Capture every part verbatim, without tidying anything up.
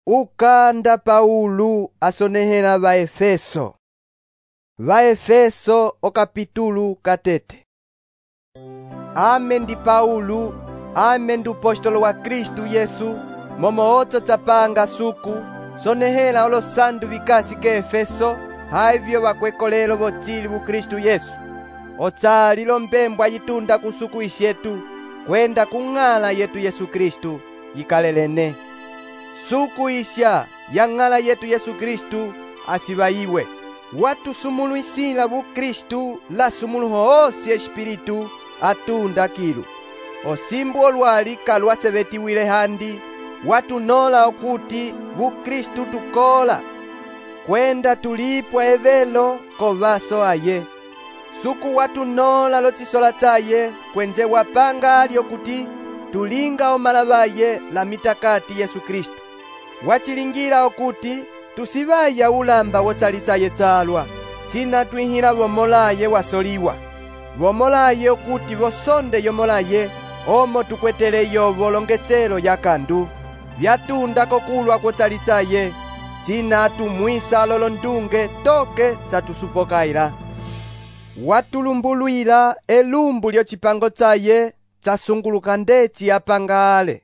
Ukanda Paulo asonehela va Efeso. Va Efeso o capítulo katete. Ame ndi Paulo, ame ndi upostolo wa Kristu Yesu, momo otso tsapanga suku, sonehela olo sandu vikasi ke Efeso, haivyo vakwekolelo votsili vu Kristu Yesu. Otsali lombembwa yitunda kusuku isyetu, kwenda kung'ala yetu Yesu Kristu, yikalelene. Suku isya ya ng'ala yetu Yesu Kristu asivaiwe. Watu sumuluisila vu Kristu la sumuluho osi espiritu atunda kilu. Osimbu olwali kalwasevetiwile handi, watu nola okuti vu Kristu tukola. Kwenda tulipwa evelo kovaso aye. Suku watu nola lotisola tsaye kwenze wapanga ali okuti tulinga omalavaye la mitakati Yesu Kristu. Wachilingira okuti tusivaya ulamba wotsalitsaye tsalwa, china twihila vomolaye wasoliwa. Vomolaye okuti vosonde yomolaye, omo tukweteleyo volongetselo ya kandu. Vyatunda kokulwa kwotsalitsaye, china tumwisa lolondunge toke tsatusupokaila. Watulumbulwila elumbu lyochipango tsaye tsasunguluka ndeci yapanga ale.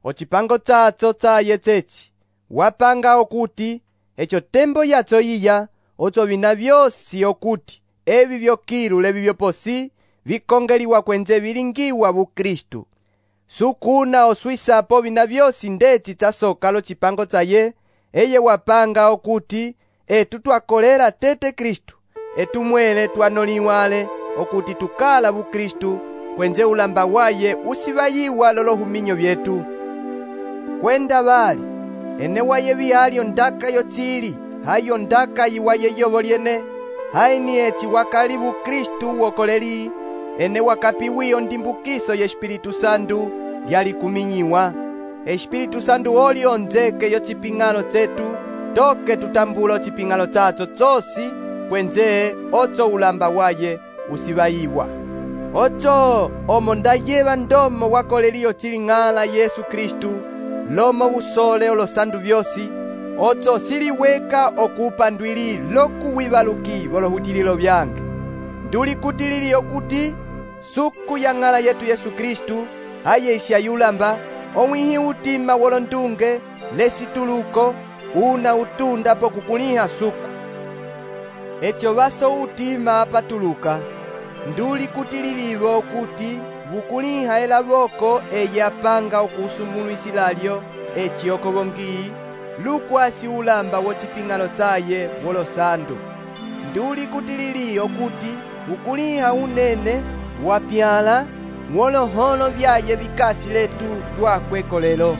Ochipango tsatso tsaye tsechi wapanga okuti echo tembo yatso iya otso vina vyosi okuti evi vyokilu levi vyoposi vikongeliwa kwenze vilingiwa vu Kristu. Sukuna oswisapo vina vyosi ndeci tsasoka lochipango tsaye eye wapanga okuti etu twakolela tete Kristu, etumwele twanoliwale okuti tukala vu Kristu kwenze ulamba waye usivayiwa lolohuminyo vyetu. Kwenda vali ene waye vihali ondaka yotsili, hayo ondaka yiwaye yovo lyene, haini eci wakali vu Kristu wokoleli, ene wakapiwi ondimbukiso ye Espiritu Sandu lyali kuminyiwa. Espiritu Sandu oli onzeke yo chiping'alo tsetu, toke tutambula chiping'alo tsatso tsosi, kwenze otso ulamba waye usivayiwa. Otso omo ndayeva ndomo wakoleliyo chiling'ala Yesu Kristu, lomo usole olosandu vyosi, otso siliweka okupandwili lokuwivaluki volohudililo vyange. Nduli kutilili okuti suku ya ng'ala yetu Yesu Kristu haye isya yulamba, omwihi utima wolondunge lesituluko una utunda pokukuliha suku. Echo vaso utima apatuluka, nduli kutililivo okuti vukuliha elavoko eyapanga okusumuluisilalyo eci okovongi lukwasi ulamba wochiping'alo tsaye wolosandu. Nduli kutilili okuti vukuliha unene wapyala woloholo vyaye vikasi letu twakwekolelo.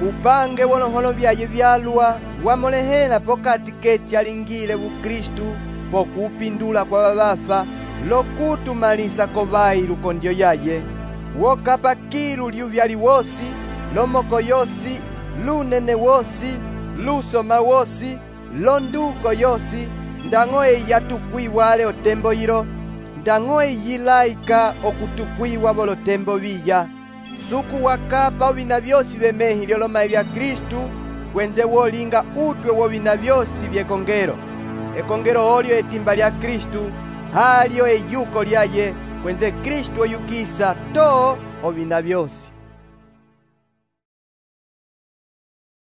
Upange woloholo vyaye vyalwa wamolehela pokati keci alingile vu Kristu pokupindula kwa vavafa, lokutumalisa kovayi lukondyo yaye. Wokapa kilu lyuvyali wosi, lomoko yosi, lunene wosi, lusoma wosi, londuko yosi, ndang'o eyi atukwiwale otembo yilo, ndang'o eyi yilaika okutukwiwa volotembo viya. Suku wakapa ovina vyosi vemehi lyolomayi vya Kristu, kwenze wolinga utwe wovina vyosi vyekongelo. Ekongelo olyo etimba lya Kristu, halyo eyuko lyaye, kwenze Kristu oyukisa to ovina vyosi.